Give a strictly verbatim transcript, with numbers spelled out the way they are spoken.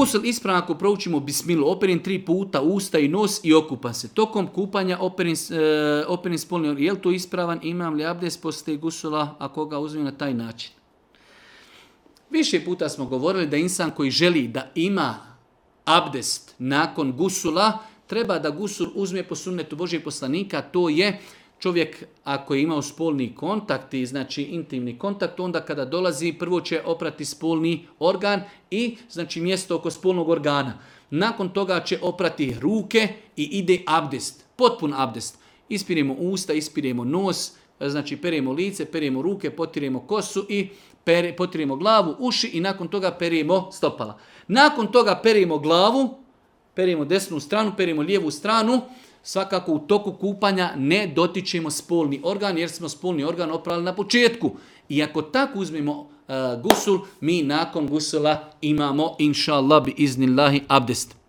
Gusul ispravan ako proučimo bismilu, operim tri puta usta i nos i okupam se. Tokom kupanja operim, e, operim spolni organ. Je li to ispravan? Imam li abdest poslije gusula ako ga uzmem na taj način? Više puta smo govorili da insan koji želi da ima abdest nakon gusula, treba da gusul uzme po sunnetu Božijeg poslanika, to je čovjek ako je imao spolni kontakt, znači intimni kontakt, onda kada dolazi prvo će oprati spolni organ i znači mjesto oko spolnog organa. Nakon toga će oprati ruke i ide abdest, potpun abdest. Ispiremo usta, ispiremo nos, znači peremo lice, peremo ruke, potiremo kosu i pere, potiremo glavu, uši i nakon toga peremo stopala. Nakon toga peremo glavu, peremo desnu stranu, peremo lijevu stranu. Svakako u toku kupanja ne dotičemo spolni organ jer smo spolni organ oprali na početku. I ako tako uzmemo uh, gusul, mi nakon gusula imamo inša Allah bi iznillahi abdest.